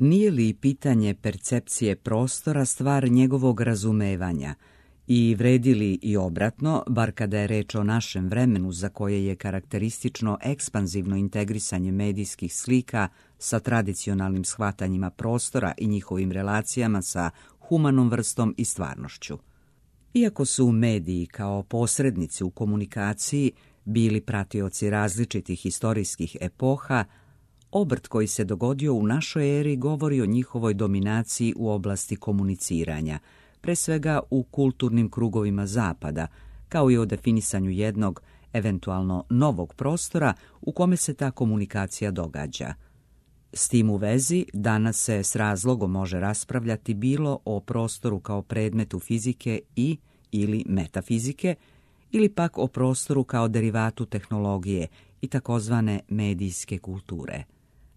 Nije li pitanje percepcije prostora stvar njegovog razumevanja i vredi li i obratno, bar kada je reč o našem vremenu za koje je karakteristično ekspanzivno integrisanje medijskih slika sa tradicionalnim shvatanjima prostora i njihovim relacijama sa humanom vrstom i stvarnošću. Iako su mediji kao posrednici u komunikaciji bili pratioci različitih historijskih epoha, obrt koji se dogodio u našoj eri govori o njihovoj dominaciji u oblasti komuniciranja, pre svega u kulturnim krugovima Zapada, kao i o definisanju jednog, eventualno novog prostora u kome se ta komunikacija događa. S tim u vezi, danas se s razlogom može raspravljati bilo o prostoru kao predmetu fizike ili metafizike, ili pak o prostoru kao derivatu tehnologije i takozvane medijske kulture.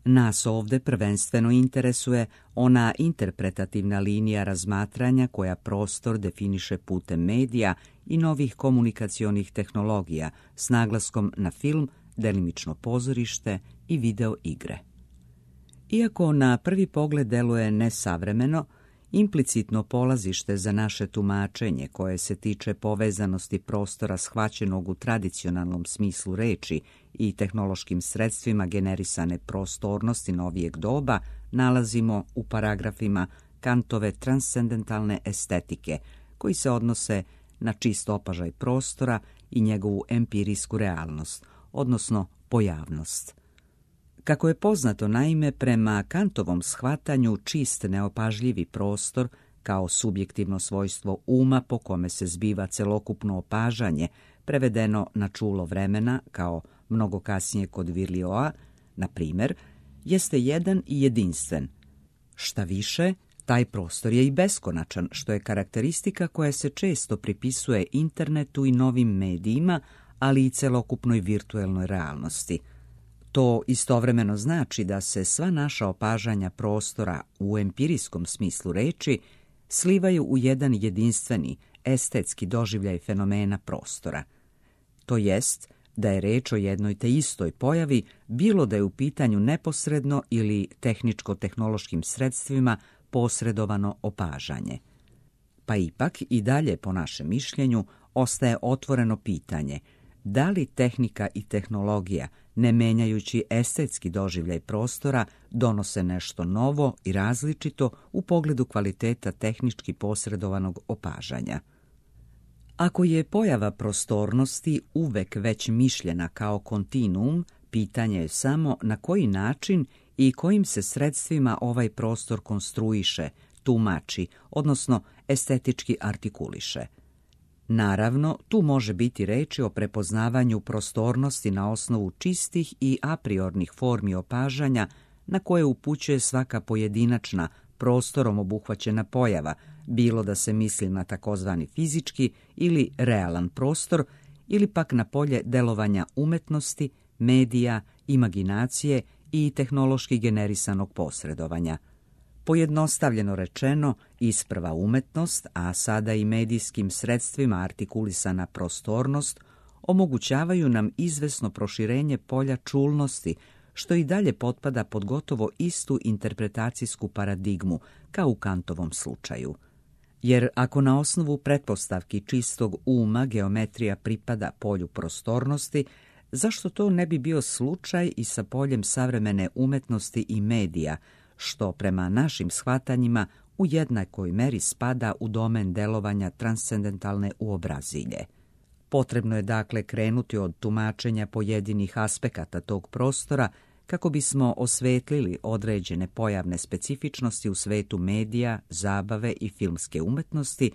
Nas ovde prvenstveno interesuje ona interpretativna linija razmatranja koja prostor definiše putem medija i novih komunikacionih tehnologija s naglaskom na film, delimično pozorište i video igre. Iako na prvi pogled deluje nesavremeno, implicitno polazište za naše tumačenje koje se tiče povezanosti prostora shvaćenog u tradicionalnom smislu reči i tehnološkim sredstvima generisane prostornosti novijeg doba nalazimo u paragrafima Kantove transcendentalne estetike, koji se odnose na čist opažaj prostora i njegovu empirijsku realnost, odnosno pojavnost. Kako je poznato, naime, prema Kantovom shvatanju čist neopažljivi prostor kao subjektivno svojstvo uma po kome se zbiva celokupno opažanje, prevedeno na čulo vremena, kao mnogo kasnije kod Virlioa, na primjer, jeste jedan i jedinstven. Šta više, taj prostor je i beskonačan, što je karakteristika koja se često pripisuje internetu i novim medijima, ali i celokupnoj virtuelnoj realnosti. To istovremeno znači da se sva naša opažanja prostora u empirijskom smislu reči slivaju u jedan jedinstveni, estetski doživljaj fenomena prostora. To jest da je reč o jednoj te istoj pojavi, bilo da je u pitanju neposredno ili tehničko-tehnološkim sredstvima posredovano opažanje. Pa ipak i dalje, po našem mišljenju, ostaje otvoreno pitanje da li tehnika i tehnologija, ne menjajući estetski doživljaj prostora, donose nešto novo i različito u pogledu kvaliteta tehnički posredovanog opažanja. Ako je pojava prostornosti uvek već mišljena kao kontinuum, pitanje je samo na koji način i kojim se sredstvima ovaj prostor konstruiše, tumači, odnosno estetički artikuliše. Naravno, tu može biti reči o prepoznavanju prostornosti na osnovu čistih i apriornih formi opažanja na koje upućuje svaka pojedinačna, prostorom obuhvaćena pojava, bilo da se misli na takozvani fizički ili realan prostor, ili pak na polje delovanja umetnosti, medija, imaginacije i tehnološki generisanog posredovanja. Pojednostavljeno rečeno, isprva umetnost, a sada i medijskim sredstvima artikulisana prostornost, omogućavaju nam izvesno proširenje polja čulnosti, što i dalje potpada pod gotovo istu interpretacijsku paradigmu, kao u Kantovom slučaju. Jer ako na osnovu pretpostavki čistog uma geometrija pripada polju prostornosti, zašto to ne bi bio slučaj i sa poljem savremene umetnosti i medija, što prema našim shvatanjima u jednakoj meri spada u domen delovanja transcendentalne uobrazilje. Potrebno je dakle krenuti od tumačenja pojedinih aspekata tog prostora kako bismo osvetlili određene pojavne specifičnosti u svetu medija, zabave i filmske umetnosti,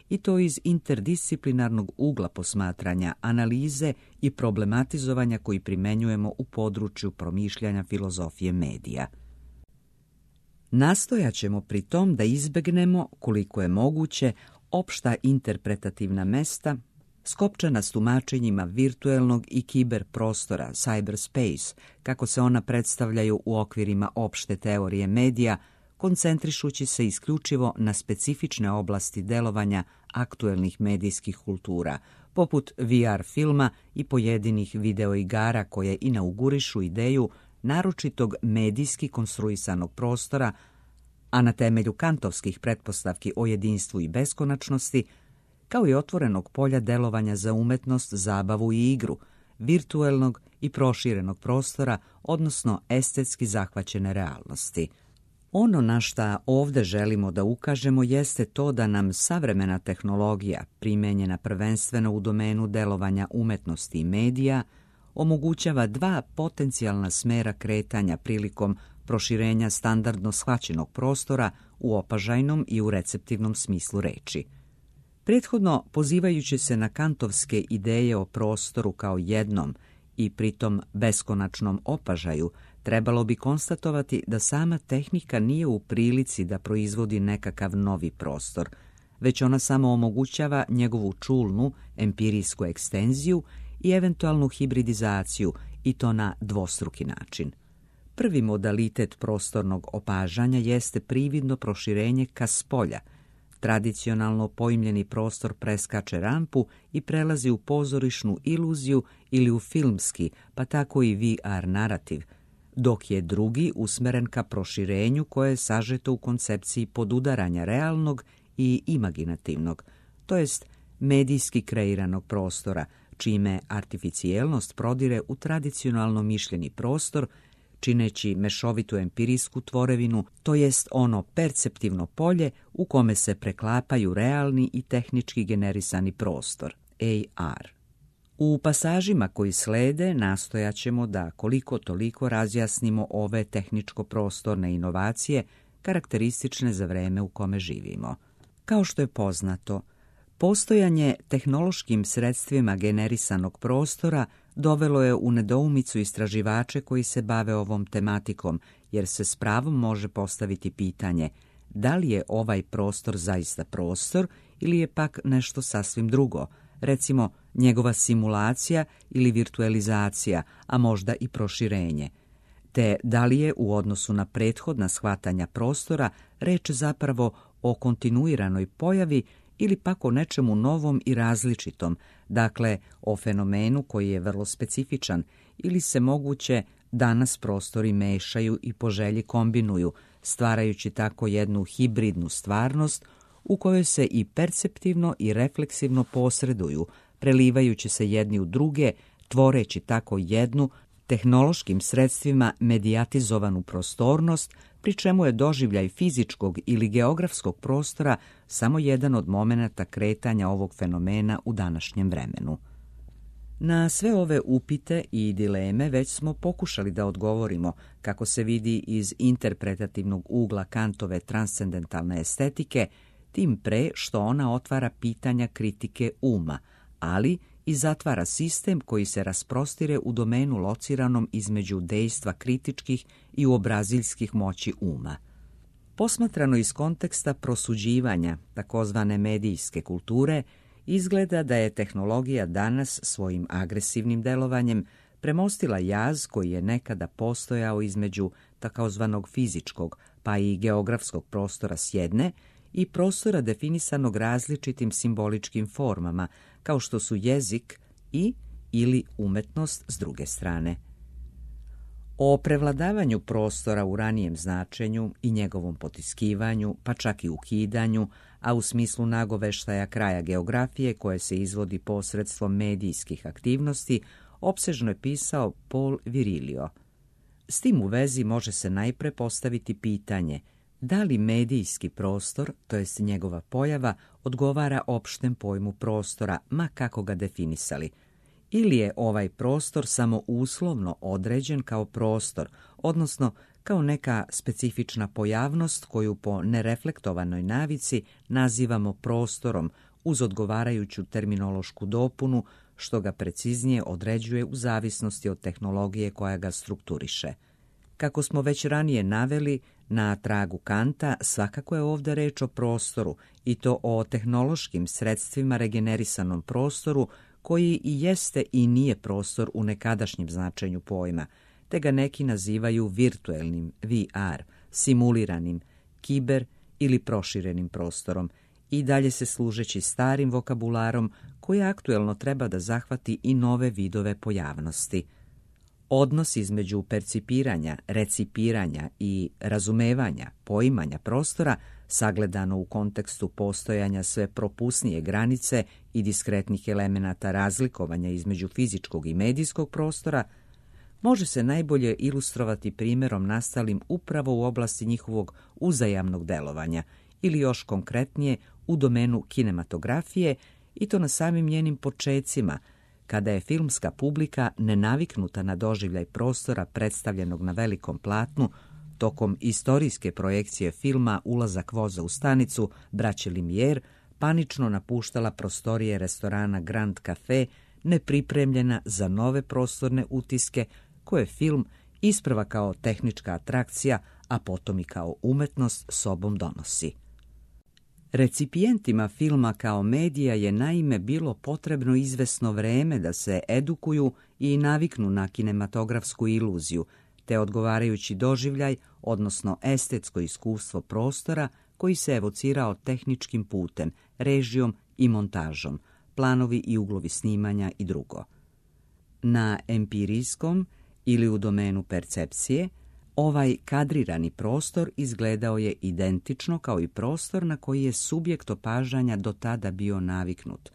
i to iz interdisciplinarnog ugla posmatranja, analize i problematizovanja koji primenjujemo u području promišljanja filozofije medija. Nastojat ćemo pri tom da izbegnemo, koliko je moguće, opšta interpretativna mesta skopčana s tumačenjima virtuelnog i kiber prostora, cyberspace, kako se ona predstavljaju u okvirima opšte teorije medija, koncentrišući se isključivo na specifične oblasti delovanja aktuelnih medijskih kultura, poput VR filma i pojedinih videoigara koje inaugurišu ideju naročitog medijski konstruisanog prostora, a na temelju kantovskih pretpostavki o jedinstvu i beskonačnosti, kao i otvorenog polja delovanja za umetnost, zabavu i igru, virtuelnog i proširenog prostora, odnosno estetski zahvaćene realnosti. Ono na šta ovde želimo da ukažemo jeste to da nam savremena tehnologija, primenjena prvenstveno u domenu delovanja umetnosti i medija, omogućava dva potencijalna smera kretanja prilikom proširenja standardno shvaćenog prostora u opažajnom i u receptivnom smislu reči. Prethodno, pozivajući se na kantovske ideje o prostoru kao jednom i pritom beskonačnom opažaju, trebalo bi konstatovati da sama tehnika nije u prilici da proizvodi nekakav novi prostor, već ona samo omogućava njegovu čulnu, empirijsku ekstenziju i eventualnu hibridizaciju, i to na dvostruki način. Prvi modalitet prostornog opažanja jeste prividno proširenje ka spolja. Tradicionalno pojmljeni prostor preskače rampu i prelazi u pozorišnu iluziju ili u filmski, pa tako i VR narativ, dok je drugi usmeren ka proširenju koje je sažeto u koncepciji podudaranja realnog i imaginativnog, to jest medijski kreiranog prostora, čime artificijelnost prodire u tradicionalno mišljeni prostor, čineći mešovitu empirijsku tvorevinu, to jest ono perceptivno polje u kome se preklapaju realni i tehnički generisani prostor, AR. U pasažima koji slede nastojaćemo da koliko toliko razjasnimo ove tehničko-prostorne inovacije karakteristične za vreme u kome živimo. Kao što je poznato, postojanje tehnološkim sredstvima generisanog prostora dovelo je u nedoumicu istraživače koji se bave ovom tematikom, jer se s pravom može postaviti pitanje da li je ovaj prostor zaista prostor ili je pak nešto sasvim drugo, recimo njegova simulacija ili virtualizacija, a možda i proširenje, te da li je u odnosu na prethodna shvatanja prostora reč zapravo o kontinuiranoj pojavi ili pak o nečemu novom i različitom, dakle o fenomenu koji je vrlo specifičan, ili se moguće danas prostori mešaju i po želji kombinuju, stvarajući tako jednu hibridnu stvarnost u kojoj se i perceptivno i refleksivno posreduju, prelivajući se jedni u druge, tvoreći tako jednu tehnološkim sredstvima medijatizovanu prostornost, pri čemu je doživljaj fizičkog ili geografskog prostora samo jedan od momenata kretanja ovog fenomena u današnjem vremenu. Na sve ove upite i dileme već smo pokušali da odgovorimo, kako se vidi iz interpretativnog ugla Kantove transcendentalne estetike, tim pre što ona otvara pitanja kritike uma, ali i zatvara sistem koji se rasprostire u domenu lociranom između dejstva kritičkih i uobraziljskih moći uma. Posmatrano iz konteksta prosuđivanja takozvane medijske kulture, izgleda da je tehnologija danas svojim agresivnim delovanjem premostila jaz koji je nekada postojao između takozvanog fizičkog pa i geografskog prostora s jedne i prostora definisanog različitim simboličkim formama, kao što su jezik i ili umetnost s druge strane. O prevladavanju prostora u ranijem značenju i njegovom potiskivanju, pa čak i ukidanju, a u smislu nagoveštaja kraja geografije koje se izvodi posredstvom medijskih aktivnosti, opsežno je pisao Paul Virilio. S tim u vezi može se najpre postaviti pitanje da li medijski prostor, to jest njegova pojava, odgovara opštem pojmu prostora, ma kako ga definisali, ili je ovaj prostor samo uslovno određen kao prostor, odnosno kao neka specifična pojavnost koju po nereflektovanoj navici nazivamo prostorom uz odgovarajuću terminološku dopunu, što ga preciznije određuje u zavisnosti od tehnologije koja ga strukturiše. Kako smo već ranije naveli, na tragu Kanta svakako je ovdje reč o prostoru, i to o tehnološkim sredstvima regenerisanom prostoru koji i jeste i nije prostor u nekadašnjem značenju pojma, te ga neki nazivaju virtuelnim, VR, simuliranim, kiber ili proširenim prostorom, i dalje se služeći starim vokabularom koji aktuelno treba da zahvati i nove vidove pojavnosti. Odnos između percipiranja, recipiranja i razumevanja, poimanja prostora, sagledano u kontekstu postojanja sve propusnije granice i diskretnih elemenata razlikovanja između fizičkog i medijskog prostora, može se najbolje ilustrovati primjerom nastalim upravo u oblasti njihovog uzajamnog delovanja ili još konkretnije u domenu kinematografije, i to na samim njenim počecima, kada je filmska publika nenaviknuta na doživljaj prostora predstavljenog na velikom platnu, tokom istorijske projekcije filma Ulazak voza u stanicu braće Lumière, panično napuštala prostorije restorana Grand Café, nepripremljena za nove prostorne utiske koje film isprva kao tehnička atrakcija, a potom i kao umetnost sobom donosi. Recipijentima filma kao medija je naime bilo potrebno izvesno vreme da se edukuju i naviknu na kinematografsku iluziju, te odgovarajući doživljaj, odnosno estetsko iskustvo prostora koji se evocirao tehničkim putem, režijom i montažom, planovi i uglovi snimanja i drugo. Na empirijskom ili u domenu percepcije, ovaj kadrirani prostor izgledao je identično kao i prostor na koji je subjekt opažanja do tada bio naviknut.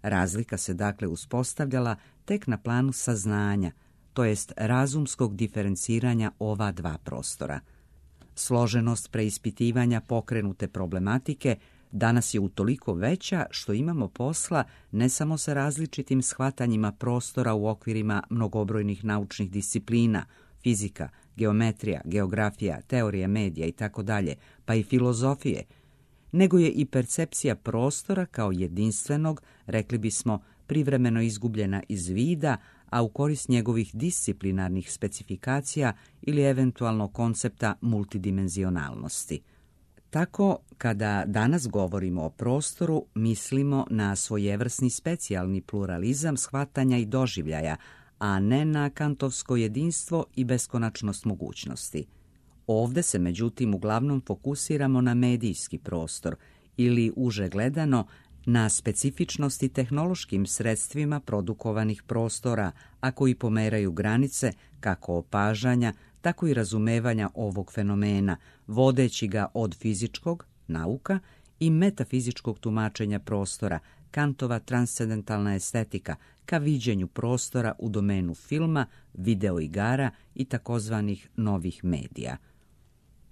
Razlika se dakle uspostavljala tek na planu saznanja, to jest razumskog diferenciranja ova dva prostora. Složenost preispitivanja pokrenute problematike danas je utoliko veća što imamo posla ne samo sa različitim shvatanjima prostora u okvirima mnogobrojnih naučnih disciplina, fizika, geometrija, geografija, teorija medija itd., pa i filozofije, nego je i percepcija prostora kao jedinstvenog, rekli bismo, privremeno izgubljena iz vida, a u korist njegovih disciplinarnih specifikacija ili eventualno koncepta multidimenzionalnosti. Tako, kada danas govorimo o prostoru, mislimo na svojevrsni specijalni pluralizam shvatanja i doživljaja, a ne na kantovsko jedinstvo i beskonačnost mogućnosti. Ovde se međutim uglavnom fokusiramo na medijski prostor ili uže gledano na specifičnosti tehnološkim sredstvima produkovanih prostora, a koji pomeraju granice kako opažanja, tako i razumevanja ovog fenomena, vodeći ga od fizičkog, nauka, i metafizičkog tumačenja prostora, Kantova transcendentalna estetika, ka viđenju prostora u domenu filma, videoigara i takozvanih novih medija.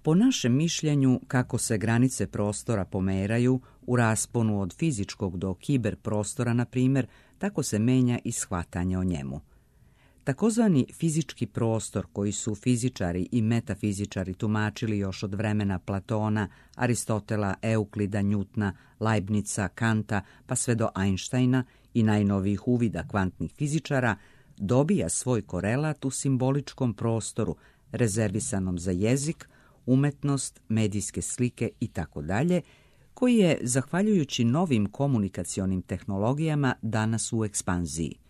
Po našem mišljenju, kako se granice prostora pomeraju u rasponu od fizičkog do kiber prostora, na primjer, tako se menja i shvatanje o njemu. Takozvani fizički prostor koji su fizičari i metafizičari tumačili još od vremena Platona, Aristotela, Euklida, Njutna, Leibnica, Kanta, pa sve do Einsteina i najnovijih uvida kvantnih fizičara, dobija svoj korelat u simboličkom prostoru, rezervisanom za jezik, umetnost, medijske slike itd., koji je, zahvaljujući novim komunikacionim tehnologijama, danas u ekspanziji.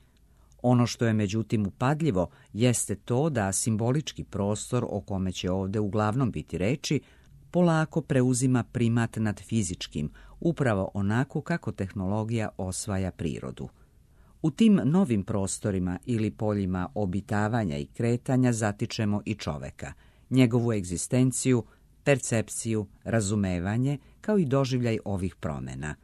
Ono što je međutim upadljivo jeste to da simbolički prostor, o kome će ovdje uglavnom biti reči, polako preuzima primat nad fizičkim, upravo onako kako tehnologija osvaja prirodu. U tim novim prostorima ili poljima obitavanja i kretanja zatičemo i čoveka, njegovu egzistenciju, percepciju, razumevanje, kao i doživljaj ovih promjena.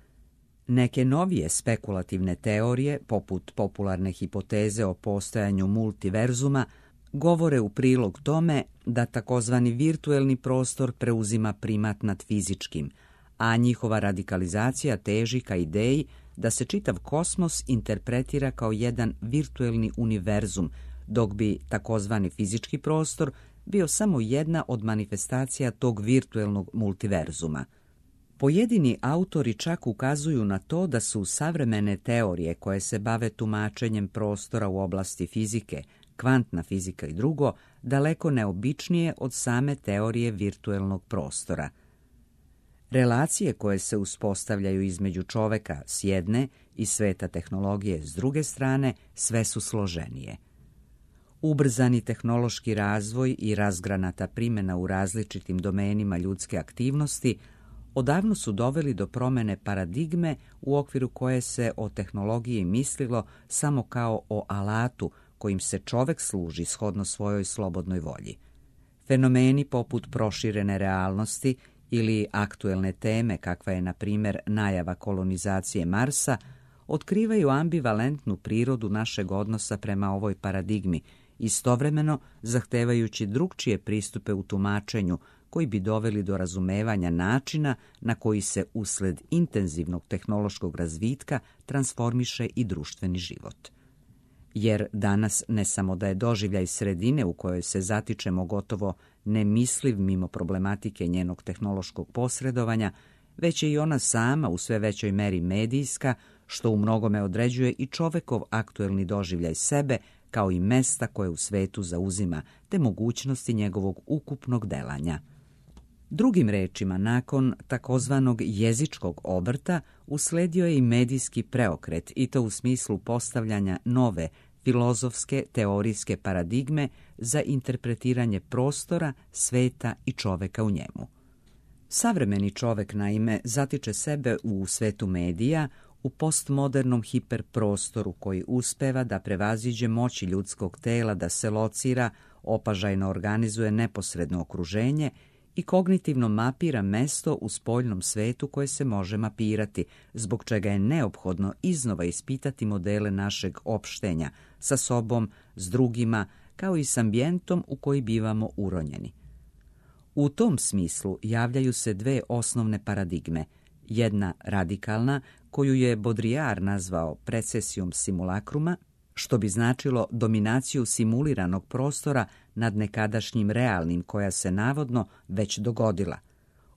Neke novije spekulativne teorije, poput popularne hipoteze o postojanju multiverzuma, govore u prilog tome da takozvani virtuelni prostor preuzima primat nad fizičkim, a njihova radikalizacija teži ka ideji da se čitav kosmos interpretira kao jedan virtuelni univerzum, dok bi takozvani fizički prostor bio samo jedna od manifestacija tog virtuelnog multiverzuma. Pojedini autori čak ukazuju na to da su savremene teorije koje se bave tumačenjem prostora u oblasti fizike, kvantna fizika i drugo, daleko neobičnije od same teorije virtuelnog prostora. Relacije koje se uspostavljaju između čoveka s jedne i sveta tehnologije s druge strane sve su složenije. Ubrzani tehnološki razvoj i razgranata primjena u različitim domenima ljudske aktivnosti odavno su doveli do promjene paradigme u okviru koje se o tehnologiji mislilo samo kao o alatu kojim se čovek služi shodno svojoj slobodnoj volji. Fenomeni poput proširene realnosti ili aktuelne teme, kakva je, na primjer, najava kolonizacije Marsa, otkrivaju ambivalentnu prirodu našeg odnosa prema ovoj paradigmi, istovremeno zahtevajući drugčije pristupe u tumačenju koji bi doveli do razumevanja načina na koji se usled intenzivnog tehnološkog razvitka transformiše i društveni život. Jer danas ne samo da je doživljaj sredine u kojoj se zatičemo gotovo nemisliv mimo problematike njenog tehnološkog posredovanja, već je i ona sama u sve većoj meri medijska, što u mnogome određuje i čovekov aktuelni doživljaj sebe kao i mesta koje u svetu zauzima, te mogućnosti njegovog ukupnog delanja. Drugim rečima, nakon takozvanog jezičkog obrta usledio je i medijski preokret, i to u smislu postavljanja nove filozofske teorijske paradigme za interpretiranje prostora, sveta i čoveka u njemu. Savremeni čovek, naime, zatiče sebe u svetu medija, u postmodernom hiperprostoru koji uspeva da prevaziđe moći ljudskog tela da se locira, opažajno organizuje neposredno okruženje i kognitivno mapira mesto u spoljnom svetu koje se može mapirati, zbog čega je neophodno iznova ispitati modele našeg opštenja sa sobom, s drugima, kao i s ambijentom u koji bivamo uronjeni. U tom smislu javljaju se dve osnovne paradigme. Jedna radikalna, koju je Baudrillard nazvao precesijom simulakruma, što bi značilo dominaciju simuliranog prostora nad nekadašnjim realnim, koja se navodno već dogodila.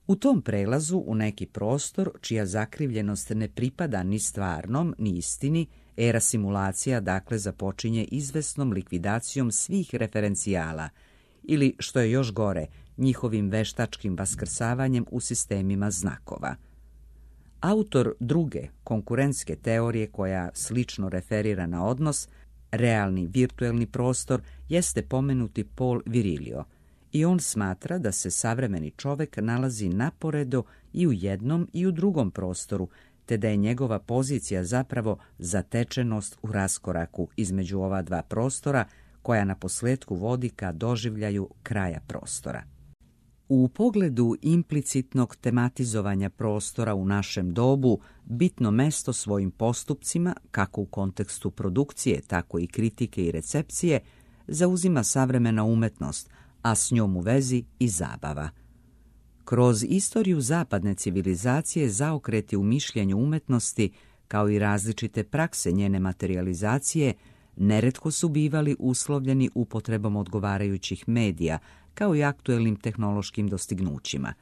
U tom prelazu u neki prostor, čija zakrivljenost ne pripada ni stvarnom, ni istini, era simulacija dakle započinje izvesnom likvidacijom svih referencijala, ili, što je još gore, njihovim veštačkim vaskrsavanjem u sistemima znakova. Autor druge, konkurentske teorije, koja slično referira na odnos realni-virtuelni prostor, jeste pomenuti Paul Virilio, i on smatra da se savremeni čovek nalazi naporedo i u jednom i u drugom prostoru, te da je njegova pozicija zapravo zatečenost u raskoraku između ova dva prostora, koja na posledku vodi ka doživljaju kraja prostora. U pogledu implicitnog tematizovanja prostora u našem dobu, bitno mesto svojim postupcima, kako u kontekstu produkcije, tako i kritike i recepcije, zauzima savremena umetnost, a s njom u vezi i zabava. Kroz istoriju zapadne civilizacije zaokreti u mišljenju umetnosti, kao i različite prakse njene materijalizacije, neretko su bivali uslovljeni upotrebom odgovarajućih medija, kao i aktuelnim tehnološkim dostignućima.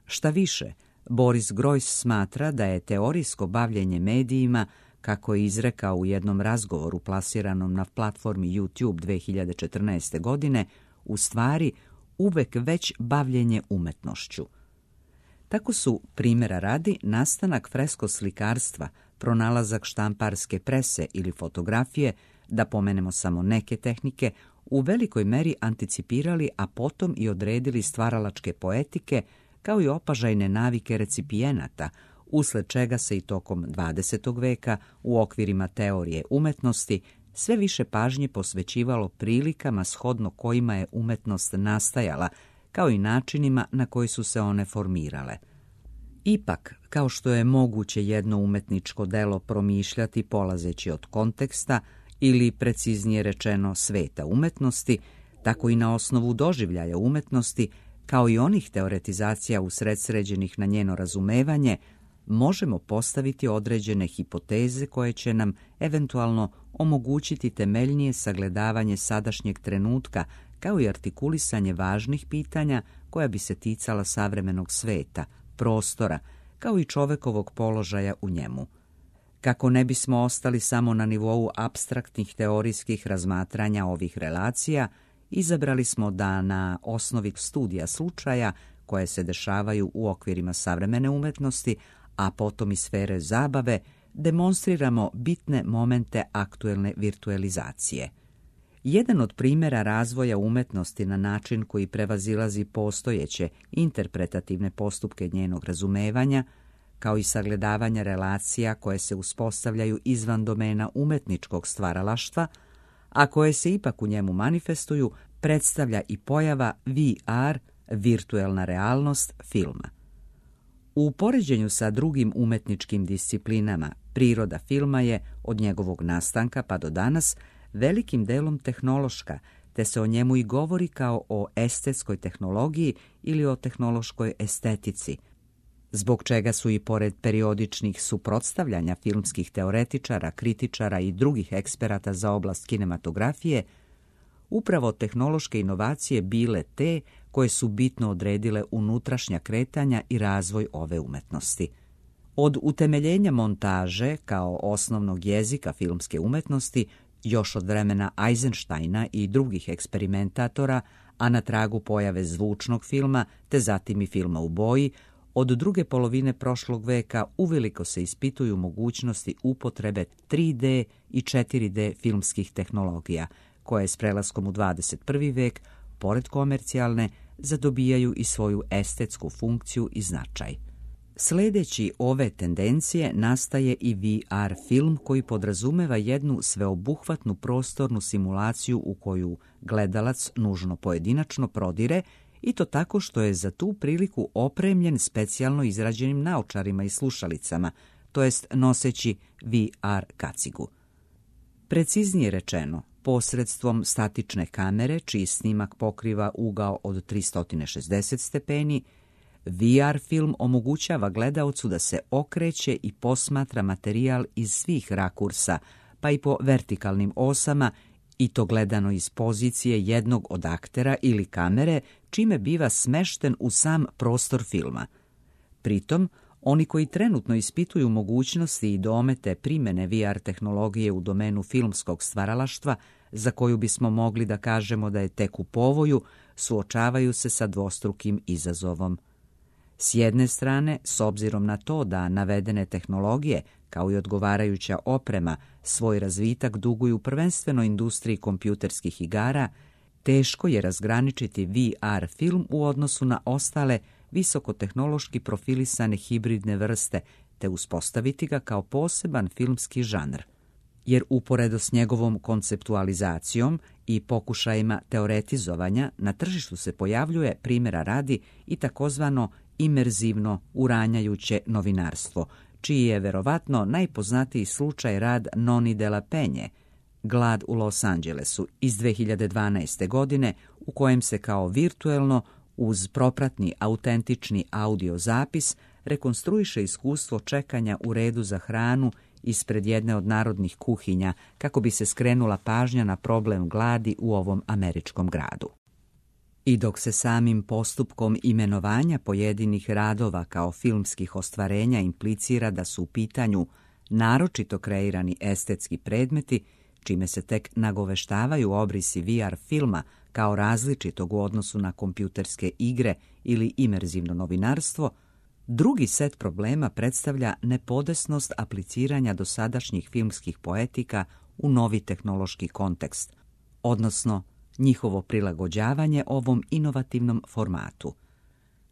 Šta više, Boris Groys smatra da je teorijsko bavljenje medijima, kako je izrekao u jednom razgovoru plasiranom na platformi YouTube 2014. godine, u stvari uvek već bavljenje umetnošću. Tako su, primjera radi, nastanak freskoslikarstva, pronalazak štamparske prese ili fotografije, da pomenemo samo neke tehnike, u velikoj meri anticipirali, a potom i odredili stvaralačke poetike, kao i opažajne navike recipijenata, usled čega se i tokom 20. veka u okvirima teorije umetnosti sve više pažnje posvećivalo prilikama shodno kojima je umetnost nastajala, kao i načinima na koji su se one formirale. Ipak, kao što je moguće jedno umetničko delo promišljati polazeći od konteksta, ili preciznije rečeno sveta umetnosti, tako i na osnovu doživljaja umetnosti, kao i onih teoretizacija usredsređenih na njeno razumevanje, možemo postaviti određene hipoteze koje će nam eventualno omogućiti temeljnije sagledavanje sadašnjeg trenutka, kao i artikulisanje važnih pitanja koja bi se ticala savremenog sveta, prostora, kao i čovekovog položaja u njemu. Kako ne bismo ostali samo na nivou apstraktnih teorijskih razmatranja ovih relacija, izabrali smo da na osnovi studija slučaja koje se dešavaju u okvirima savremene umetnosti, a potom i sfere zabave, demonstriramo bitne momente aktuelne virtualizacije. Jedan od primjera razvoja umetnosti na način koji prevazilazi postojeće interpretativne postupke njenog razumevanja, kao i sagledavanja relacija koje se uspostavljaju izvan domena umetničkog stvaralaštva, a koje se ipak u njemu manifestuju, predstavlja i pojava VR, virtuelna realnost filma. U poređenju sa drugim umetničkim disciplinama, priroda filma je, od njegovog nastanka pa do danas, velikim delom tehnološka, te se o njemu i govori kao o estetskoj tehnologiji ili o tehnološkoj estetici, zbog čega su i pored periodičnih suprotstavljanja filmskih teoretičara, kritičara i drugih eksperata za oblast kinematografije, upravo tehnološke inovacije bile te koje su bitno odredile unutrašnja kretanja i razvoj ove umetnosti. Od utemeljenja montaže kao osnovnog jezika filmske umetnosti, još od vremena Eisensteina i drugih eksperimentatora, a na tragu pojave zvučnog filma, te zatim i filma u boji, od druge polovine prošlog veka uveliko se ispituju mogućnosti upotrebe 3D i 4D filmskih tehnologija, koje s prelaskom u 21. vek, pored komercijalne, zadobijaju i svoju estetsku funkciju i značaj. Sledeći ove tendencije nastaje i VR film koji podrazumeva jednu sveobuhvatnu prostornu simulaciju u koju gledalac nužno pojedinačno prodire, i to tako što je za tu priliku opremljen specijalno izrađenim naočarima i slušalicama, to jest noseći VR kacigu. Preciznije rečeno, posredstvom statične kamere, čiji snimak pokriva ugao od 360 stepeni, VR film omogućava gledaocu da se okreće i posmatra materijal iz svih rakursa, pa i po vertikalnim osama, i to gledano iz pozicije jednog od aktera ili kamere, čime biva smešten u sam prostor filma. Pritom, oni koji trenutno ispituju mogućnosti i domete primene VR tehnologije u domenu filmskog stvaralaštva, za koju bismo mogli da kažemo da je tek u povoju, suočavaju se sa dvostrukim izazovom. S jedne strane, s obzirom na to da navedene tehnologije, kao i odgovarajuća oprema, svoj razvitak duguju prvenstveno industriji kompjuterskih igara, teško je razgraničiti VR film u odnosu na ostale visokotehnološki profilisane hibridne vrste, te uspostaviti ga kao poseban filmski žanr. Jer uporedo s njegovom konceptualizacijom i pokušajima teoretizovanja, na tržištu se pojavljuje, primjera radi, i takozvano imerzivno uranjajuće novinarstvo, čiji je verovatno najpoznatiji slučaj rad Noni de la Penje, Glad u Los Angelesu iz 2012. godine, u kojem se kao virtuelno, uz propratni autentični audio zapis, rekonstruiše iskustvo čekanja u redu za hranu ispred jedne od narodnih kuhinja, kako bi se skrenula pažnja na problem gladi u ovom američkom gradu. I dok se samim postupkom imenovanja pojedinih radova kao filmskih ostvarenja implicira da su u pitanju naročito kreirani estetski predmeti, čime se tek nagoveštavaju obrisi VR filma kao različitog u odnosu na kompjuterske igre ili imerzivno novinarstvo, drugi set problema predstavlja nepodesnost apliciranja dosadašnjih filmskih poetika u novi tehnološki kontekst, odnosno njihovo prilagođavanje ovom inovativnom formatu.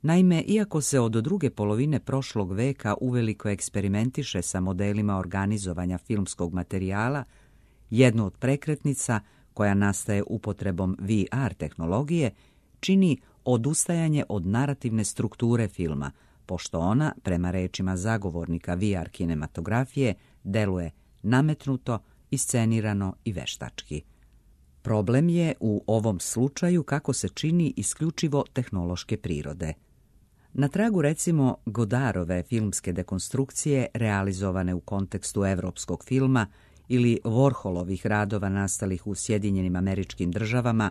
Naime, iako se od druge polovine prošlog veka uveliko eksperimentiše sa modelima organizovanja filmskog materijala, jednu od prekretnica koja nastaje upotrebom VR tehnologije čini odustajanje od narativne strukture filma, pošto ona, prema rečima zagovornika VR kinematografije, deluje nametnuto, iscenirano i veštački. Problem je u ovom slučaju kako se čini isključivo tehnološke prirode. Na tragu recimo Godardove filmske dekonstrukcije realizovane u kontekstu evropskog filma ili Warholovih radova nastalih u Sjedinjenim Američkim Državama,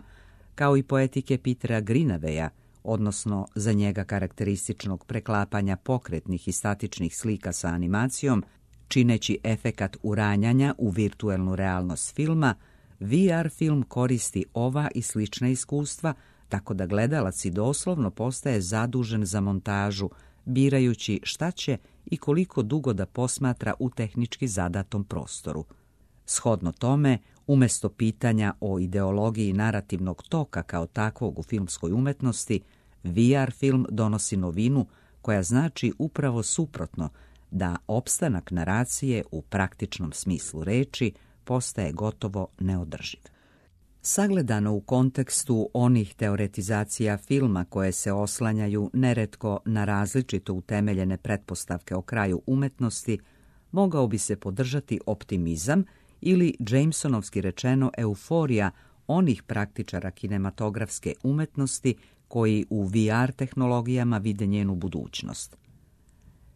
kao i poetike Petera Greenaweya, odnosno za njega karakterističnog preklapanja pokretnih i statičnih slika sa animacijom, čineći efekat uranjanja u virtuelnu realnost filma, VR film koristi ova i slična iskustva, tako da gledalac i doslovno postaje zadužen za montažu, birajući šta će i koliko dugo da posmatra u tehnički zadatom prostoru. Shodno tome, umesto pitanja o ideologiji narativnog toka kao takvog u filmskoj umetnosti, VR film donosi novinu koja znači upravo suprotno, da opstanak naracije u praktičnom smislu reči postaje gotovo neodrživ. Sagledano u kontekstu onih teoretizacija filma koje se oslanjaju neretko na različito utemeljene pretpostavke o kraju umetnosti, mogao bi se podržati optimizam ili Jamesonovski rečeno euforija onih praktičara kinematografske umetnosti koji u VR tehnologijama vide njenu budućnost.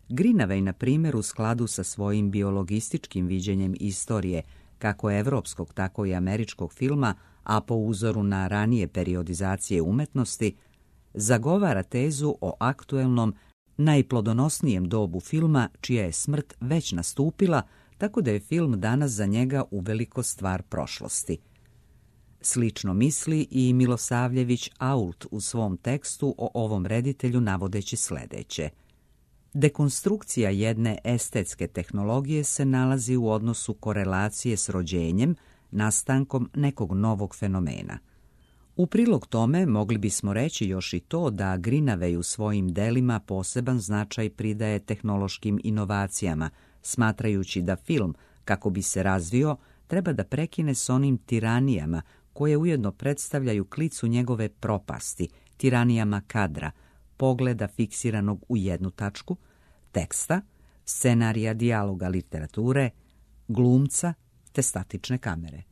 Greenaway, na primjer, u skladu sa svojim biologističkim viđenjem istorije, kako evropskog, tako i američkog filma, a po uzoru na ranije periodizacije umetnosti, zagovara tezu o aktuelnom, najplodonosnijem dobu filma, čija je smrt već nastupila, tako da je film danas za njega uveliko stvar prošlosti. Slično misli i Milosavljević Ault u svom tekstu o ovom reditelju, navodeći sljedeće. Dekonstrukcija jedne estetske tehnologije se nalazi u odnosu korelacije s rođenjem, nastankom nekog novog fenomena. U prilog tome mogli bismo reći još i to da Greenaway u svojim delima poseban značaj pridaje tehnološkim inovacijama, smatrajući da film, kako bi se razvio, treba da prekine s onim tiranijama koje ujedno predstavljaju klicu njegove propasti, tiranijama kadra, pogleda fiksiranog u jednu tačku, teksta, scenarija, dijaloga, literature, glumca te statične kamere.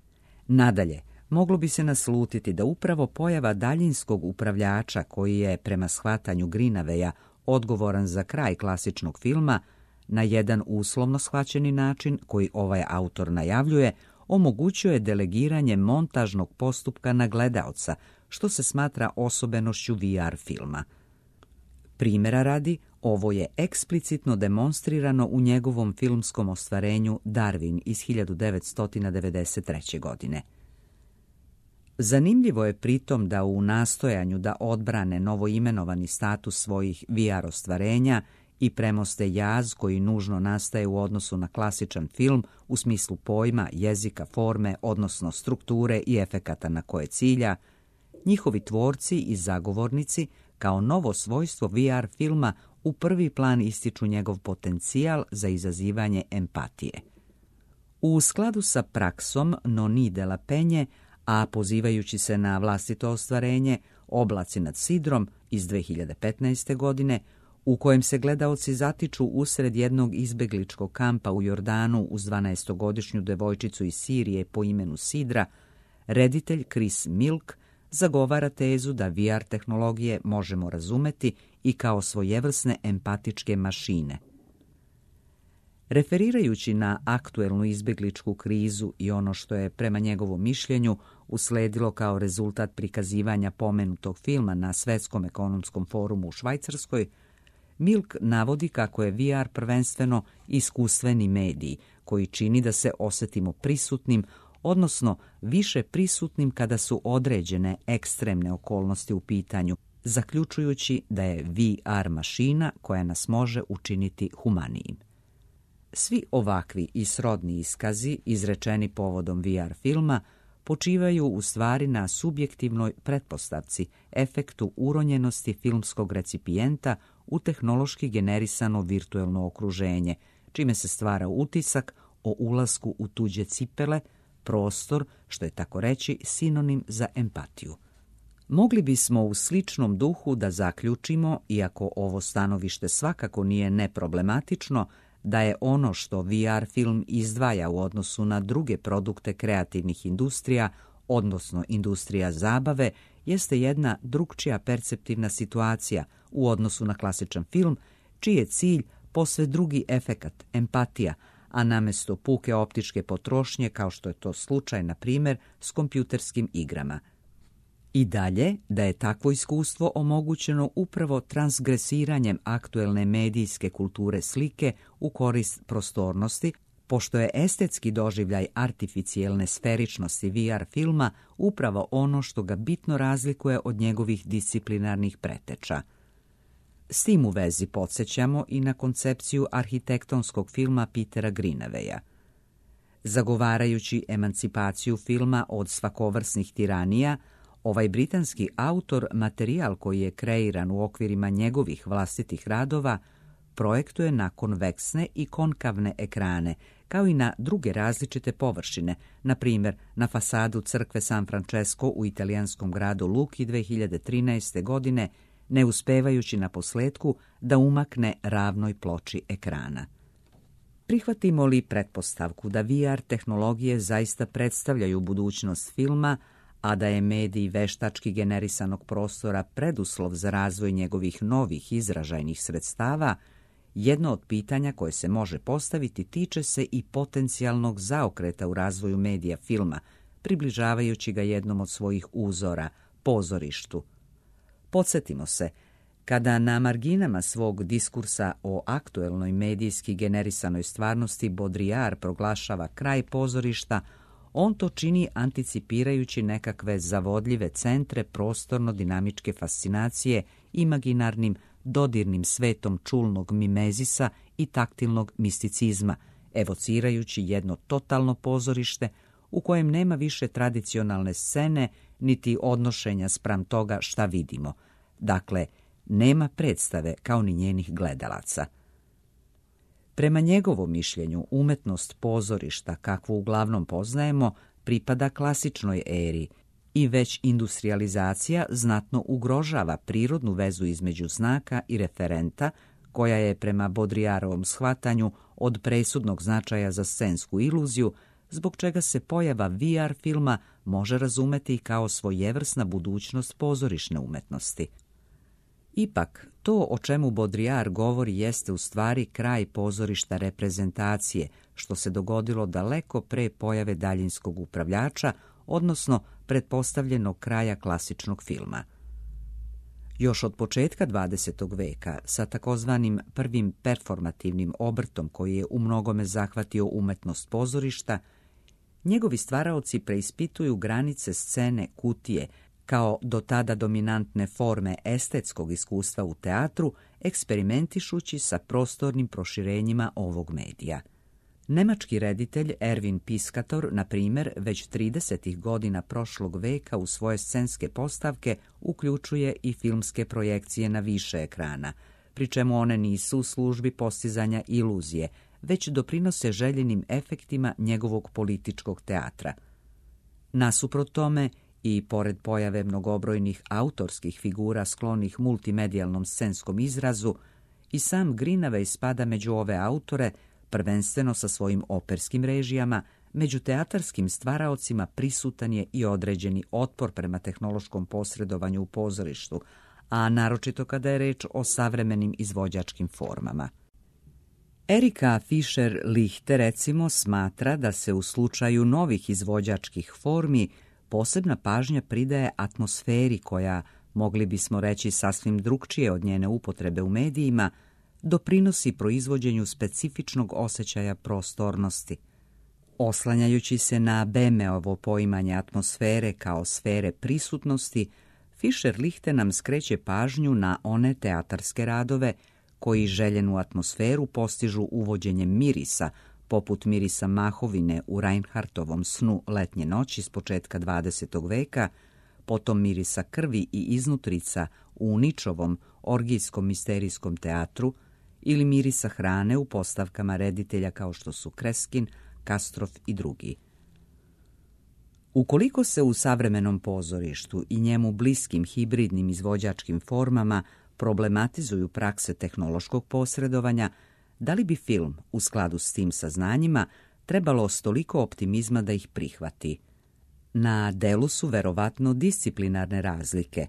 Nadalje, moglo bi se naslutiti da upravo pojava daljinskog upravljača, koji je prema shvatanju Greenawaya odgovoran za kraj klasičnog filma, na jedan uslovno shvaćeni način, koji ovaj autor najavljuje, omogućuje delegiranje montažnog postupka na gledaoca, što se smatra osobenošću VR filma. Primjera radi, ovo je eksplicitno demonstrirano u njegovom filmskom ostvarenju Darwin iz 1993. godine. Zanimljivo je pritom da u nastojanju da odbrane novoimenovani status svojih VR ostvarenja i premoste jaz koji nužno nastaje u odnosu na klasičan film u smislu pojma, jezika, forme, odnosno strukture i efekata na koje cilja, njihovi tvorci i zagovornici kao novo svojstvo VR filma u prvi plan ističu njegov potencijal za izazivanje empatije. U skladu sa praksom Noni de la Penje, a pozivajući se na vlastito ostvarenje Oblaci nad Sidrom iz 2015. godine, u kojem se gledaoci zatiču usred jednog izbegličkog kampa u Jordanu uz 12-godišnju devojčicu iz Sirije po imenu Sidra, reditelj Chris Milk zagovara tezu da VR tehnologije možemo razumeti i kao svojevrsne empatičke mašine. Referirajući na aktuelnu izbegličku krizu i ono što je prema njegovom mišljenju usledilo kao rezultat prikazivanja pomenutog filma na Svetskom ekonomskom forumu u Švajcarskoj, Milk navodi kako je VR prvenstveno iskustveni medij koji čini da se osjetimo prisutnim, odnosno više prisutnim kada su određene ekstremne okolnosti u pitanju, zaključujući da je VR mašina koja nas može učiniti humanijim. Svi ovakvi i srodni iskazi, izrečeni povodom VR filma, počivaju u stvari na subjektivnoj pretpostavci, efektu uronjenosti filmskog recipijenta u tehnološki generisano virtuelno okruženje, čime se stvara utisak o ulasku u tuđe cipele, prostor, što je tako reći sinonim za empatiju. Mogli bismo u sličnom duhu da zaključimo, iako ovo stanovište svakako nije neproblematično, da je ono što VR film izdvaja u odnosu na druge produkte kreativnih industrija, odnosno industrija zabave, jeste jedna drukčija perceptivna situacija u odnosu na klasičan film, čiji je cilj posve drugi efekat, empatija, a namesto puke optičke potrošnje, kao što je to slučaj, na primjer, s kompjuterskim igrama. I dalje, da je takvo iskustvo omogućeno upravo transgresiranjem aktuelne medijske kulture slike u korist prostornosti, pošto je estetski doživljaj artificijelne sferičnosti VR filma upravo ono što ga bitno razlikuje od njegovih disciplinarnih preteča. S tim u vezi podsjećamo i na koncepciju arhitektonskog filma Petera Greenawaya. Zagovarajući emancipaciju filma od svakovrsnih tiranija, ovaj britanski autor materijal koji je kreiran u okvirima njegovih vlastitih radova projektuje na konveksne i konkavne ekrane kao i na druge različite površine, na primjer na fasadu crkve San Francesco u italijanskom gradu Luki 2013. godine, ne uspevajući na posletku da umakne ravnoj ploči ekrana. Prihvatimo li pretpostavku da VR tehnologije zaista predstavljaju budućnost filma, a da je medij veštački generisanog prostora preduslov za razvoj njegovih novih izražajnih sredstava, jedno od pitanja koje se može postaviti tiče se i potencijalnog zaokreta u razvoju medija filma, približavajući ga jednom od svojih uzora, pozorištu. Podsjetimo se, kada na marginama svog diskursa o aktuelnoj medijski generisanoj stvarnosti Baudrillard proglašava kraj pozorišta, on to čini anticipirajući nekakve zavodljive centre prostorno-dinamičke fascinacije imaginarnim dodirnim svetom čulnog mimezisa i taktilnog misticizma, evocirajući jedno totalno pozorište u kojem nema više tradicionalne scene niti odnošenja spram toga šta vidimo. Dakle, nema predstave kao ni njenih gledalaca. Prema njegovom mišljenju, umetnost pozorišta, kakvu uglavnom poznajemo, pripada klasičnoj eri i već industrijalizacija znatno ugrožava prirodnu vezu između znaka i referenta, koja je prema Baudrillardovom shvatanju od presudnog značaja za scensku iluziju, zbog čega se pojava VR filma može razumeti kao svojevrsna budućnost pozorišne umetnosti. Ipak, to o čemu Baudrillard govori jeste u stvari kraj pozorišta reprezentacije, što se dogodilo daleko pre pojave daljinskog upravljača, odnosno pretpostavljenog kraja klasičnog filma. Još od početka 20. veka, sa takozvanim prvim performativnim obrtom koji je u mnogome zahvatio umetnost pozorišta, njegovi stvaraoci preispituju granice scene kutije, kao do tada dominantne forme estetskog iskustva u teatru, eksperimentišući sa prostornim proširenjima ovog medija. Nemački reditelj Erwin Piscator, na primjer, već 30. godina prošlog veka u svoje scenske postavke uključuje i filmske projekcije na više ekrana, pri čemu one nisu u službi postizanja iluzije, već doprinose željenim efektima njegovog političkog teatra. Nasuprot tome, i pored pojave mnogobrojnih autorskih figura sklonih multimedijalnom scenskom izrazu, i sam Greenaway spada među ove autore, prvenstveno sa svojim operskim režijama. Među teatarskim stvaraocima prisutan je i određeni otpor prema tehnološkom posredovanju u pozorištu, a naročito kada je reč o savremenim izvođačkim formama. Erika Fischer-Lichte recimo smatra da se u slučaju novih izvođačkih formi posebna pažnja pridaje atmosferi koja, mogli bismo reći sasvim drukčije od njene upotrebe u medijima, doprinosi proizvođenju specifičnog osjećaja prostornosti. Oslanjajući se na Bemeovo poimanje atmosfere kao sfere prisutnosti, Fischer-Lichte nam skreće pažnju na one teatarske radove koji željenu atmosferu postižu uvođenjem mirisa, poput mirisa mahovine u Reinhardtovom Snu letnje noći s početka 20. veka, potom mirisa krvi i iznutrica u Ničovom orgijskom misterijskom teatru ili mirisa hrane u postavkama reditelja kao što su Kreskin, Kastrof i drugi. Ukoliko se u savremenom pozorištu i njemu bliskim hibridnim izvođačkim formama problematizuju prakse tehnološkog posredovanja, da li bi film, u skladu s tim saznanjima, trebalo stoliko optimizma da ih prihvati? Na delu su verovatno disciplinarne razlike.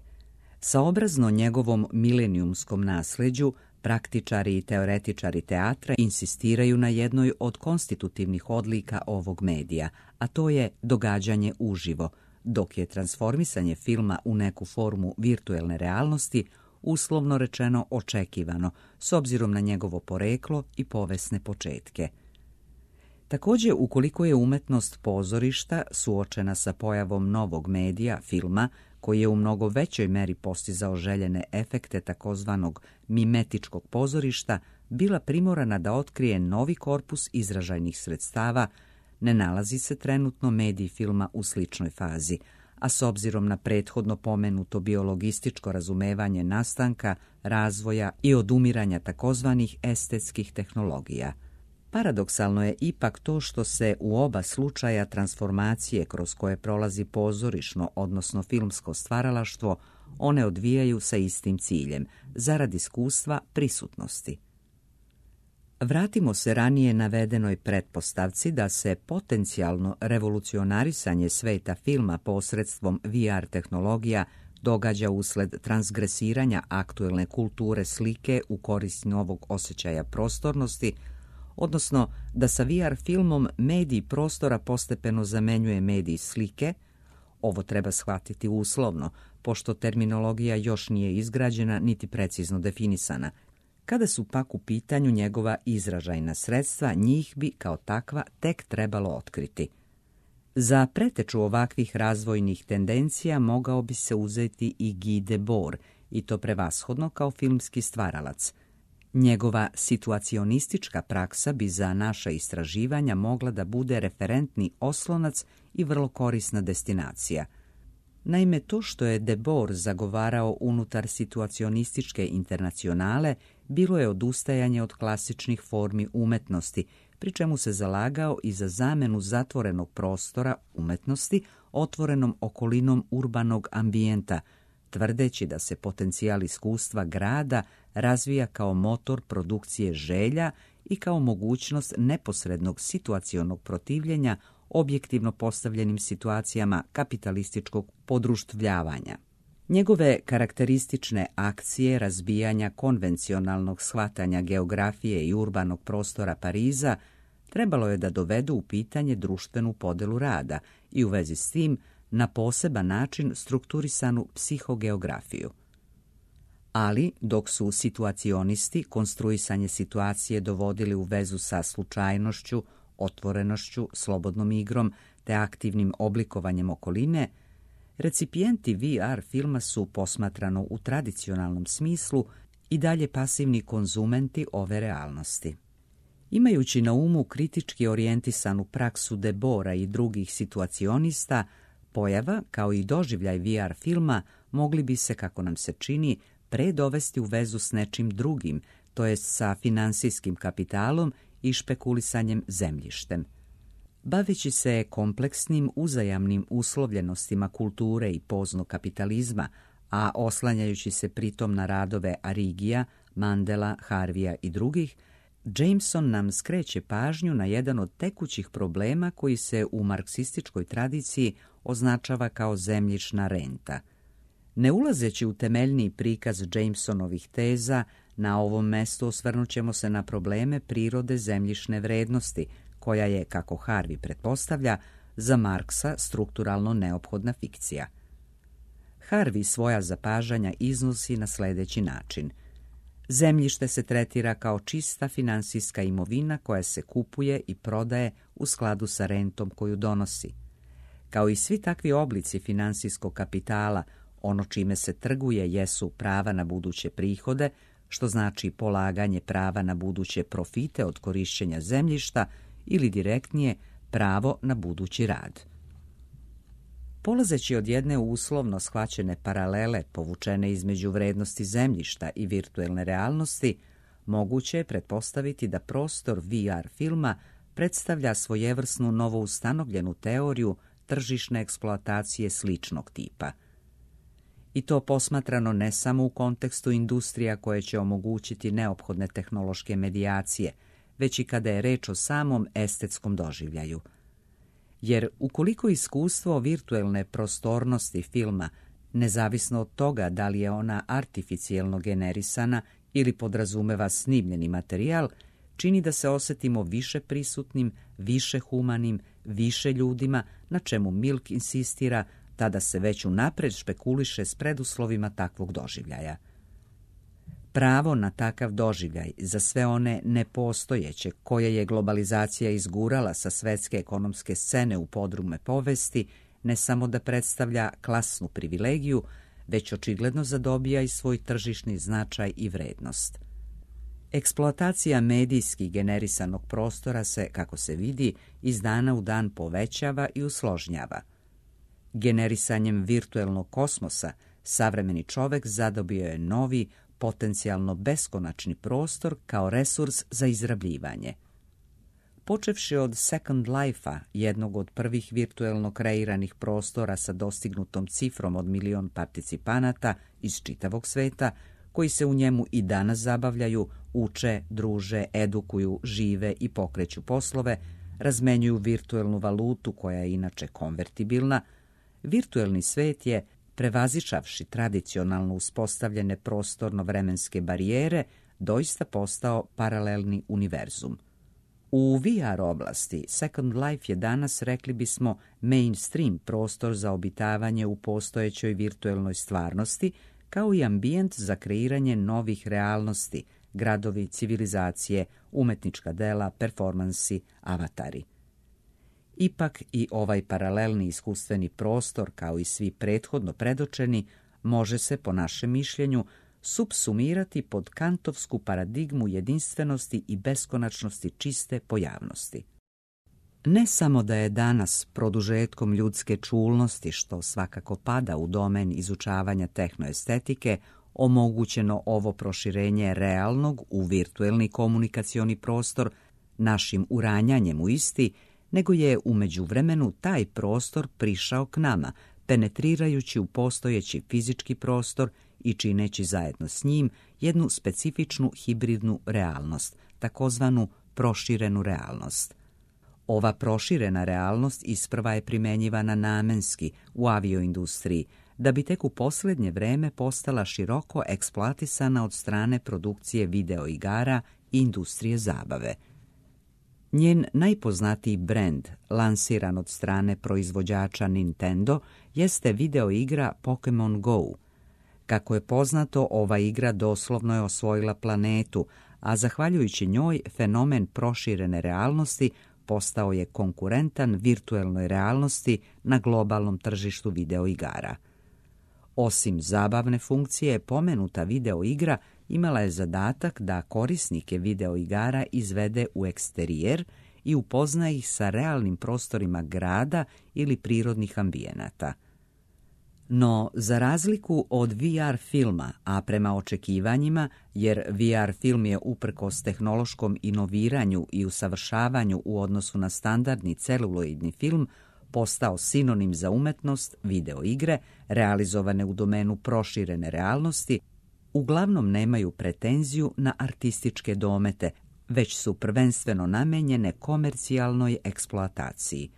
Saobrazno njegovom milenijumskom nasleđu, praktičari i teoretičari teatra insistiraju na jednoj od konstitutivnih odlika ovog medija, a to je događanje uživo, dok je transformisanje filma u neku formu virtuelne realnosti uslovno rečeno očekivano, s obzirom na njegovo poreklo i povesne početke. Također, ukoliko je umetnost pozorišta suočena sa pojavom novog medija, filma, koji je u mnogo većoj meri postizao željene efekte takozvanog mimetičkog pozorišta, bila primorana da otkrije novi korpus izražajnih sredstava, ne nalazi se trenutno medij filma u sličnoj fazi, a s obzirom na prethodno pomenuto biologističko razumevanje nastanka, razvoja i odumiranja takozvanih estetskih tehnologija. Paradoksalno je ipak to što se u oba slučaja transformacije kroz koje prolazi pozorišno, odnosno filmsko stvaralaštvo, one odvijaju sa istim ciljem, zarad iskustva prisutnosti. Vratimo se ranije navedenoj pretpostavci da se potencijalno revolucionarisanje sveta filma posredstvom VR tehnologija događa usled transgresiranja aktuelne kulture slike u korist novog osjećaja prostornosti, odnosno da sa VR filmom medij prostora postepeno zamenjuje medij slike. Ovo treba shvatiti uslovno, pošto terminologija još nije izgrađena niti precizno definisana. Kada su pak u pitanju njegova izražajna sredstva, njih bi kao takva tek trebalo otkriti. Za preteču ovakvih razvojnih tendencija mogao bi se uzeti i Guy Debord, i to prevashodno kao filmski stvaralac. Njegova situacionistička praksa bi za naša istraživanja mogla da bude referentni oslonac i vrlo korisna destinacija. Naime, to što je Debord zagovarao unutar situacionističke internacionale bilo je odustajanje od klasičnih formi umetnosti, pri čemu se zalagao i za zamenu zatvorenog prostora umetnosti otvorenom okolinom urbanog ambijenta, tvrdeći da se potencijal iskustva grada razvija kao motor produkcije želja i kao mogućnost neposrednog situacionog protivljenja objektivno postavljenim situacijama kapitalističkog podruštvljavanja. Njegove karakteristične akcije razbijanja konvencionalnog shvatanja geografije i urbanog prostora Pariza trebalo je da dovedu u pitanje društvenu podelu rada i u vezi s tim na poseban način strukturisanu psihogeografiju. Ali, dok su situacionisti konstruisanje situacije dovodili u vezu sa slučajnošću, otvorenošću, slobodnom igrom te aktivnim oblikovanjem okoline, recipijenti VR filma su, posmatrano u tradicionalnom smislu, i dalje pasivni konzumenti ove realnosti. Imajući na umu kritički orijentisanu praksu Deborda i drugih situacionista, pojava, kao i doživljaj VR filma, mogli bi se, kako nam se čini, dovesti u vezu s nečim drugim, to jest sa finansijskim kapitalom i špekulisanjem zemljištem. Baveći se kompleksnim uzajamnim uslovljenostima kulture i poznog kapitalizma, a oslanjajući se pritom na radove Arrigija, Mandela, Harvija i drugih, Jameson nam skreće pažnju na jedan od tekućih problema koji se u marksističkoj tradiciji označava kao zemljišna renta. Ne ulazeći u temeljni prikaz Jamesonovih teza, na ovom mestu osvrnut ćemo se na probleme prirode zemljišne vrednosti, koja je, kako Harvey pretpostavlja, za Marksa strukturalno neophodna fikcija. Harvey svoja zapažanja iznosi na sljedeći način. Zemljište se tretira kao čista finansijska imovina koja se kupuje i prodaje u skladu sa rentom koju donosi. Kao i svi takvi oblici finansijskog kapitala, ono čime se trguje jesu prava na buduće prihode, što znači polaganje prava na buduće profite od korišćenja zemljišta ili direktnije pravo na budući rad. Polazeći od jedne uslovno shvaćene paralele povučene između vrednosti zemljišta i virtuelne realnosti, moguće je pretpostaviti da prostor VR filma predstavlja svojevrsnu novoustanovljenu teoriju tržišne eksploatacije sličnog tipa. I to posmatrano ne samo u kontekstu industrija koje će omogućiti neophodne tehnološke medijacije, već i kada je reč o samom estetskom doživljaju. Jer ukoliko iskustvo virtuelne prostornosti filma, nezavisno od toga da li je ona artificijelno generisana ili podrazumeva snimljeni materijal, čini da se osjetimo više prisutnim, više humanim, više ljudima, na čemu Milk insistira, tada se već unaprijed špekuliše s preduslovima takvog doživljaja. Pravo na takav doživljaj za sve one nepostojeće koje je globalizacija izgurala sa svetske ekonomske scene u podrume povesti, ne samo da predstavlja klasnu privilegiju, već očigledno zadobija i svoj tržišni značaj i vrednost. Eksploatacija medijski generisanog prostora se, kako se vidi, iz dana u dan povećava i usložnjava. Generisanjem virtuelnog kosmosa savremeni čovek zadobio je novi, potencijalno beskonačni prostor kao resurs za izrabljivanje. Počevši od Second Life-a, jednog od prvih virtuelno kreiranih prostora sa dostignutom cifrom od 1 milion participanata iz čitavog sveta, koji se u njemu i danas zabavljaju, uče, druže, edukuju, žive i pokreću poslove, razmenjuju virtuelnu valutu koja je inače konvertibilna, virtuelni svet je, prevazišavši tradicionalno uspostavljene prostorno-vremenske barijere, doista postao paralelni univerzum. U VR oblasti Second Life je danas, rekli bismo, mainstream prostor za obitavanje u postojećoj virtuelnoj stvarnosti, kao i ambijent za kreiranje novih realnosti, gradovi, civilizacije, umetnička dela, performansi, avatari. Ipak i ovaj paralelni iskustveni prostor, kao i svi prethodno predočeni, može se, po našem mišljenju, supsumirati pod kantovsku paradigmu jedinstvenosti i beskonačnosti čiste pojavnosti. Ne samo da je danas produžetkom ljudske čulnosti, što svakako pada u domen izučavanja tehnoestetike, omogućeno ovo proširenje realnog u virtuelni komunikacioni prostor našim uranjanjem u isti, nego je u međuvremenu taj prostor prišao k nama, penetrirajući u postojeći fizički prostor i čineći zajedno s njim jednu specifičnu hibridnu realnost, takozvanu proširenu realnost. Ova proširena realnost isprva je primenjivana namenski u avioindustriji, da bi tek u posljednje vreme postala široko eksploatisana od strane produkcije videoigara i industrije zabave. Njen najpoznatiji brend, lansiran od strane proizvođača Nintendo, jeste videoigra Pokémon Go. Kako je poznato, ova igra doslovno je osvojila planetu, a zahvaljujući njoj fenomen proširene realnosti postao je konkurentan virtuelnoj realnosti na globalnom tržištu videoigara. Osim zabavne funkcije, pomenuta videoigra imala je zadatak da korisnike videoigara izvede u eksterijer i upozna ih sa realnim prostorima grada ili prirodnih ambijenata. No, za razliku od VR filma, a prema očekivanjima, jer VR film je uprkos tehnološkom inoviranju i usavršavanju u odnosu na standardni celuloidni film, postao sinonim za umetnost, videoigre, realizovane u domenu proširene realnosti, uglavnom nemaju pretenziju na artističke domete, već su prvenstveno namenjene komercijalnoj eksploataciji.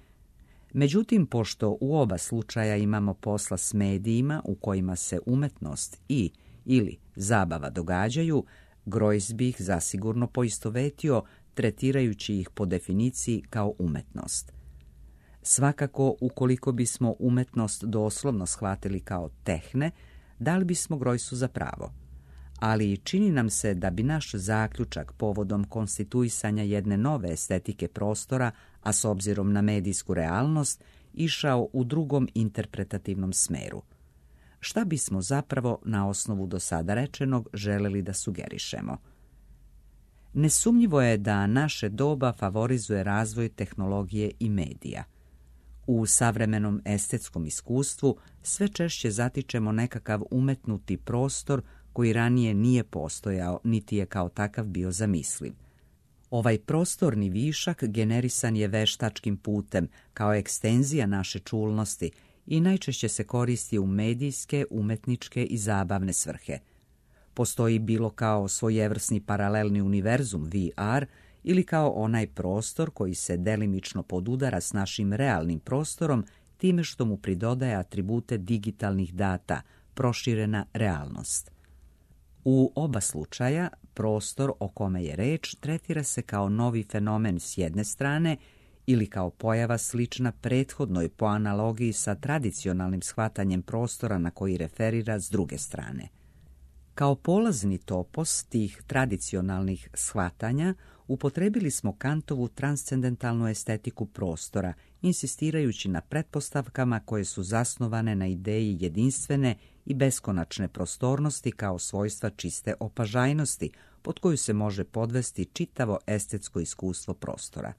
Međutim, pošto u oba slučaja imamo posla s medijima u kojima se umetnost ili zabava događaju, Greuze bi ih zasigurno poistovetio, tretirajući ih po definiciji kao umetnost. Svakako, ukoliko bismo umetnost doslovno shvatili kao tehne, dali bismo Greuzeu za pravo. Ali čini nam se da bi naš zaključak povodom konstituisanja jedne nove estetike prostora, a s obzirom na medijsku realnost, išao u drugom interpretativnom smeru. Šta bismo zapravo na osnovu do sada rečenog želeli da sugerišemo? Nesumnjivo je da naše doba favorizuje razvoj tehnologije i medija. U savremenom estetskom iskustvu sve češće zatičemo nekakav umetnuti prostor koji ranije nije postojao, niti je kao takav bio zamisliv. Ovaj prostorni višak generisan je veštačkim putem, kao ekstenzija naše čulnosti i najčešće se koristi u medijske, umetničke i zabavne svrhe. Postoji bilo kao svojevrsni paralelni univerzum VR ili kao onaj prostor koji se delimično podudara s našim realnim prostorom time što mu pridodaje atribute digitalnih data, proširena realnost. U oba slučaja, prostor o kome je reč tretira se kao novi fenomen s jedne strane ili kao pojava slična prethodnoj po analogiji sa tradicionalnim shvatanjem prostora na koji referira s druge strane. Kao polazni topos tih tradicionalnih shvatanja upotrebili smo Kantovu transcendentalnu estetiku prostora, insistirajući na pretpostavkama koje su zasnovane na ideji jedinstvene i beskonačne prostornosti kao svojstva čiste opažajnosti, pod koju se može podvesti čitavo estetsko iskustvo prostora.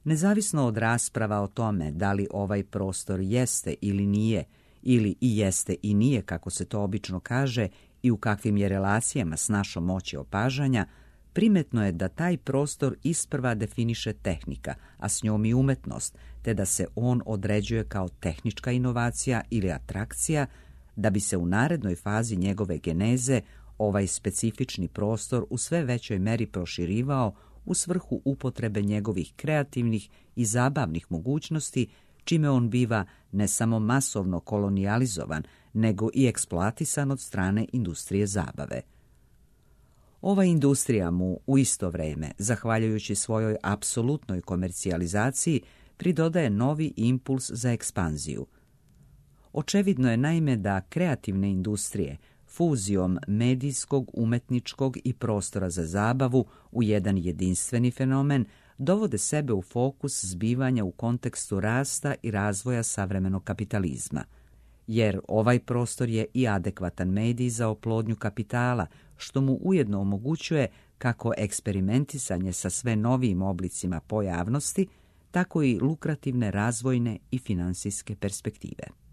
Nezavisno od rasprava o tome da li ovaj prostor jeste ili nije, ili i jeste i nije, kako se to obično kaže, i u kakvim je relacijama s našom moći opažanja, primetno je da taj prostor isprva definiše tehnika, a s njom i umetnost, te da se on određuje kao tehnička inovacija ili atrakcija, da bi se u narednoj fazi njegove geneze ovaj specifični prostor u sve većoj meri proširivao u svrhu upotrebe njegovih kreativnih i zabavnih mogućnosti, čime on biva ne samo masovno kolonijalizovan, nego i eksploatisan od strane industrije zabave. Ova industrija mu u isto vrijeme, zahvaljujući svojoj apsolutnoj komercijalizaciji, pridodaje novi impuls za ekspanziju. Očevidno je naime da kreativne industrije fuzijom medijskog, umetničkog i prostora za zabavu u jedan jedinstveni fenomen dovode sebe u fokus zbivanja u kontekstu rasta i razvoja savremenog kapitalizma. Jer ovaj prostor je i adekvatan medij za oplodnju kapitala, što mu ujedno omogućuje kako eksperimentisanje sa sve novijim oblicima pojavnosti, tako i lukrativne razvojne i finansijske perspektive.